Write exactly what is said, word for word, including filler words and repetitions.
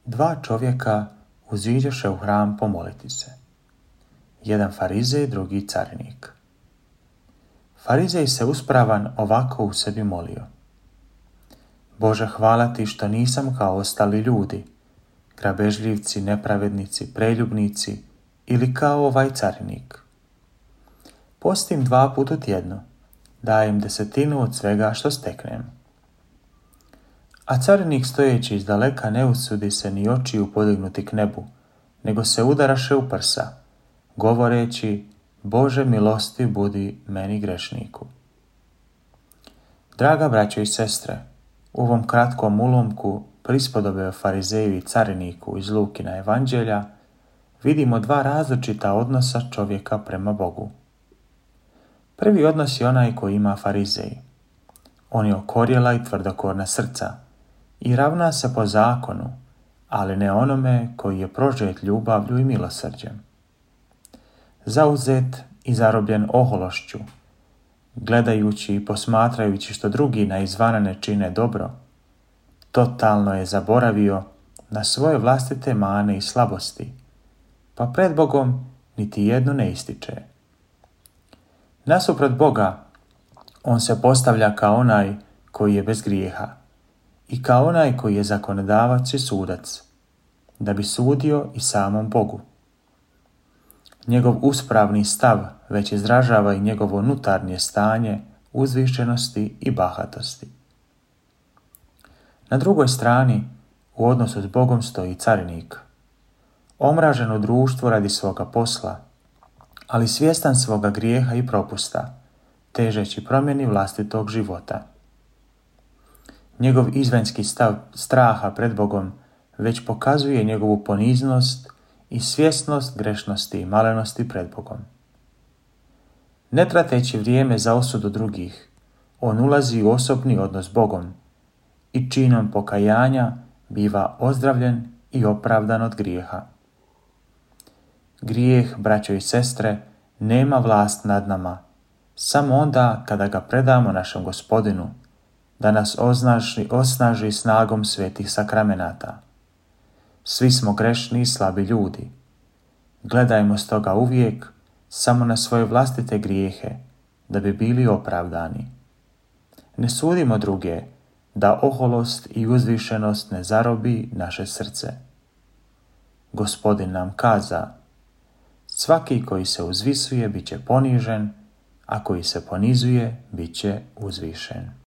Dva čovjeka uziđoše u hram pomoliti se. Jedan farizej, drugi carinik. Farizej se uspravan ovako u sebi molio: Bože, hvala ti što nisam kao ostali ljudi, grabežljivci, nepravednici, preljubnici ili kao ovaj carinik. Postim dva puta tjedno, dajem desetinu od svega što steknem. A carinik stojeći iz daleka ne usudi se ni očiju podignuti k nebu, nego se udaraše u prsa, govoreći: Bože milosti budi meni grešniku. Draga braćo i sestre, u ovom kratkom ulomku prispodobe o farizeju i cariniku iz Lukina evanđelja vidimo dva različita odnosa čovjeka prema Bogu. Prvi odnos je onaj koji ima farizej. On je okorjela i tvrdokorna srca i ravna se po zakonu, ali ne onome koji je prožet ljubavlju i milosrđem. Zauzet i zarobljen ohološću, gledajući i posmatrajući što drugi na izvana ne čine dobro, totalno je zaboravio na svoje vlastite mane i slabosti, pa pred Bogom niti jednu ne ističe. Nasuprot Boga, on se postavlja kao onaj koji je bez grijeha i kao onaj koji je zakonodavac i sudac, da bi sudio i samom Bogu. Njegov uspravni stav već izražava i njegovo unutarnje stanje uzvišenosti i bahatosti. Na drugoj strani, u odnosu s Bogom stoji carinik, omražen u društvu radi svoga posla, ali svjestan svoga grijeha i propusta, težeći promjeni vlastitog života. Njegov izvanjski stav straha pred Bogom već pokazuje njegovu poniznost i svjesnost grešnosti i malenosti pred Bogom. Ne trateći vrijeme za osudu drugih, on ulazi u osobni odnos s Bogom i činom pokajanja biva ozdravljen i opravdan od grijeha. Grijeh, braćo i sestre, nema vlast nad nama, samo onda kada ga predamo našem Gospodinu, da nas osnaži, osnaži snagom svetih sakramenata. Svi smo grešni i slabi ljudi. Gledajmo stoga uvijek samo na svoje vlastite grijehe, da bi bili opravdani. Ne sudimo druge, da oholost i uzvišenost ne zarobi naše srce. Gospodin nam kaza: svaki koji se uzvisuje bit će ponižen, a koji se ponizuje bit će uzvišen.